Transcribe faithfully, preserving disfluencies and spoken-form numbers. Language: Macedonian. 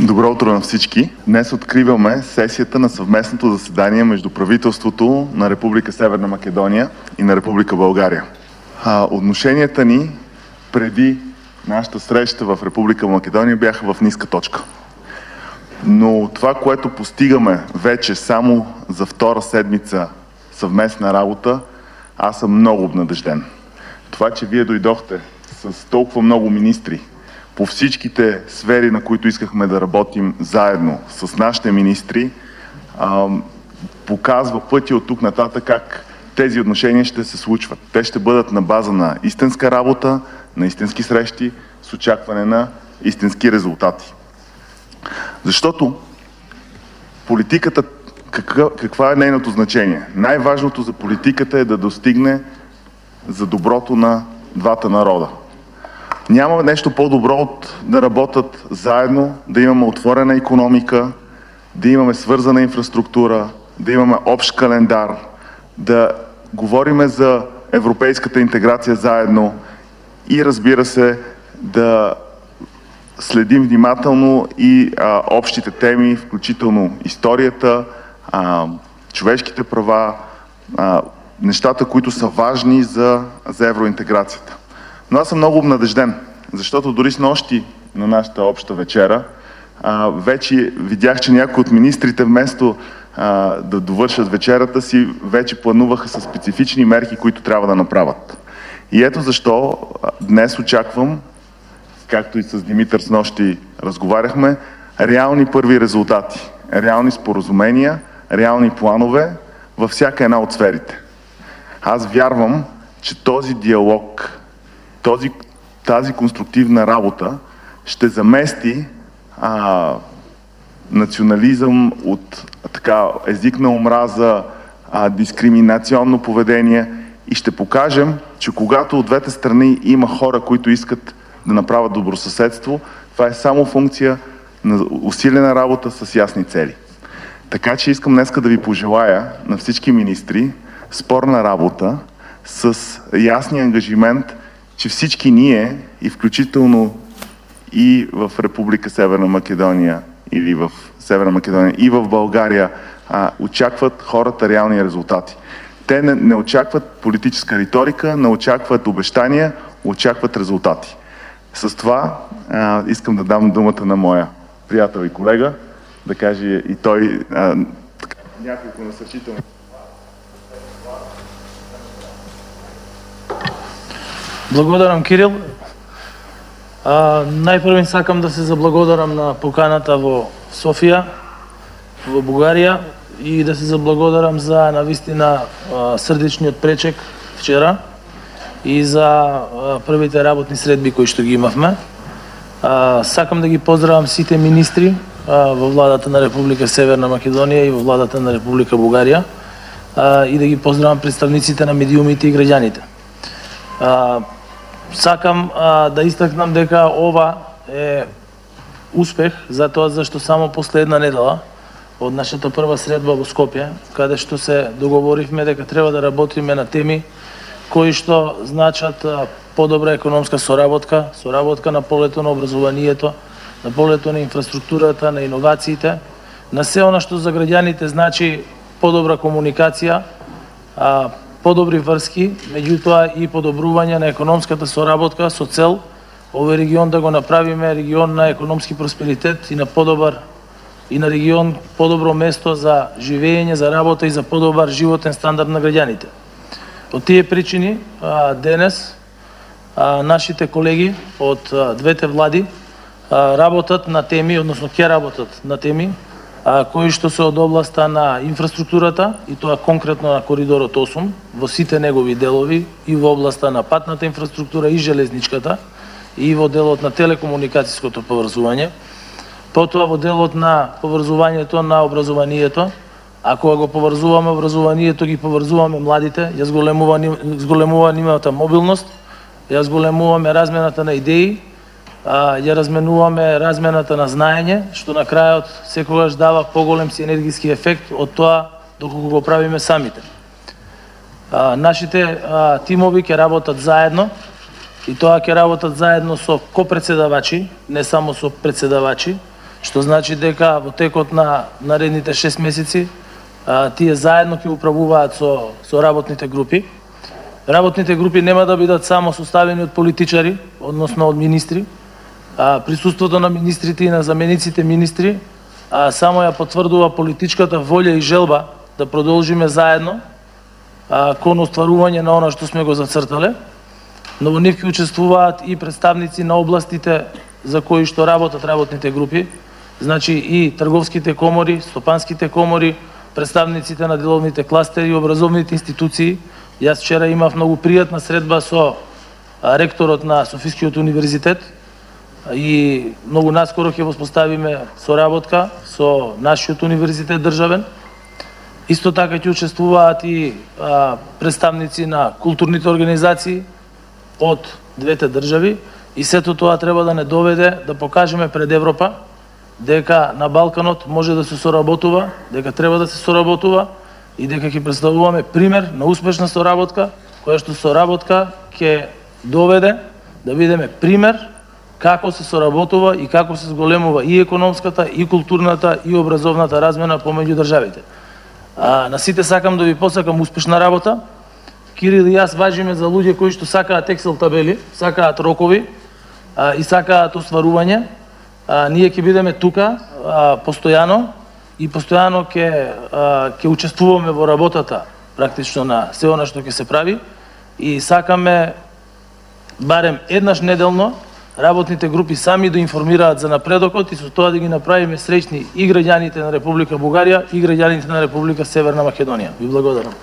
Добро утро на всички. Днес откриваме сесията на съвместното заседание между правителството на Република Северна Македония и на Република България. А, отношенията ни преди нашата среща в Република Македония бяха в ниска точка. Но това, което постигаме вече само за втора седмица съвместна работа, аз съм много обнадежден. Това, че вие дойдохте с толкова много министри по всичките сфери, на които искахме да работим заедно с нашите министри, показва пътя от тук нататък как тези отношения ще се случват. Те ще бъдат на база на истинска работа, на истински срещи, с очакване на истински резултати. Защото политиката, каква, каква е нейното значение? Най-важното за политиката е да достигне за доброто на двата народа. Няма нещо по-добро от да работят заедно, да имаме отворена икономика, да имаме свързана инфраструктура, да имаме общ календар, да говориме за европейската интеграция заедно и, разбира се, да следим внимателно и а, общите теми, включително историята, а, човешките права, а, нещата, които са важни за, за евроинтеграцията. Но аз съм много обнадежден, защото дори с нощи на нашата обща вечера а, вече видях, че някои от министрите вместо а, да довършат вечерата си, вече плануваха със специфични мерки, които трябва да направят. И ето защо днес очаквам, както и с Димитър с нощи разговаряхме, реални първи резултати, реални споразумения, реални планове във всяка една от сферите. Аз вярвам, че този диалог, този, тази конструктивна работа ще замести а, национализъм от така, език на омраза, а, дискриминационно поведение и ще покажем, че когато от двете страни има хора, които искат да направят добросъседство, това е само функция на усилена работа с ясни цели. Така че искам днеска да ви пожелая на всички министри спорна работа с ясния ангажимент, че всички ние, и включително и в Република Северна Македония, или в Северна Македония, и в България, а, очакват хората реални резултати. Те не, не очакват политическа риторика, не очакват обещания, очакват резултати. С това а, искам да дам думата на моя приятел и колега, да каже и той а, няколко насърчителни. Благодарам, Кирил. А, најпрво сакам да се заблагодарам на поканата во Софија, во Бугарија, и да се заблагодарам за навистина срдечниот пречек вчера и за а, првите работни средби кои што ги имавме. А, сакам да ги поздравам сите министри а, во владата на Република Северна Македонија и во владата на Република Бугарија, а, и да ги поздравам представниците на медиумите и граѓаните. А, сакам а, да истакнам дека ова е успех, затоа зашто само после една недела од нашата прва средба во Скопје, каде што се договоривме дека треба да работиме на теми кои што значат подобра економска соработка, соработка на полето на образованието, на полето на инфраструктурата, на иновациите, на се она што за граѓаните значи подобра комуникација, а, подобри врски, меѓутоа и подобрување на економската соработка со цел овој регион да го направиме регион на економски просперитет и на подобар и на регион подобро место за живење, за работа и за подобар животен стандард на граѓаните. Од тие причини денес нашите колеги од двете влади работат на теми, односно ќе работат на теми кои што се од областа на инфраструктурата, и тоа конкретно на коридорот осум, во сите негови делови, и во областа на патната инфраструктура и железничката, и во делот на телекомуникацијското поврзување, потоа во делот на поврзувањето на образованието. Ако го поврзуваме образованието, ги поврзуваме младите, ја зголемува нивната мобилност, ја зголемуваме размената на идеи, ја разменуваме размената на знаење, што на крајот секогаш дава поголем синергиски ефект од тоа доколку го правиме самите. Нашите тимови ќе работат заедно, и тоа ќе работат заедно со копредседавачи, не само со председавачи, што значи дека во текот на наредните шест месеци а, тие заедно ќе управуваат со, со работните групи. Работните групи нема да бидат само составени од политичари, односно од министри. А, присуството на министрите и на замениците министри а, само ја потврдува политичката волја и желба да продолжиме заедно а, кон остварување на она што сме го зацртале. Но во нив ќе учествуваат и представници на областите за кои што работат работните групи, значи и трговските комори, стопанските комори, представниците на деловните кластери и образовните институции. Јас вчера имав многу пријатна средба со ректорот на Софискиот универзитет и многу наскоро ќе воспоставиме соработка со нашиот универзитет државен. Исто така ќе учествуваат и а, представници на културните организации од двете држави и сето тоа треба да не доведе да покажеме пред Европа дека на Балканот може да се соработува, дека треба да се соработува и дека ќе представуваме пример на успешна соработка, која што соработка ќе доведе да видиме пример како се соработува и како се зголемува и економската, и културната, и образовната размена помеѓу државите. А, на сите сакам да ви посакам успешна работа. Кирил и јас важиме за луѓе кои што сакаат Excel табели, сакаат рокови а, и сакаат остварување. А, ние ќе бидеме тука а, постојано и постојано ќе ќе учествуваме во работата практично на се она што ќе се прави и сакаме барем еднаш неделно работните групи сами да информираат за напредокот и со тоа да ги направиме среќни и граѓаните на Република Бугарија и граѓаните на Република Северна Македонија. Ви благодарам.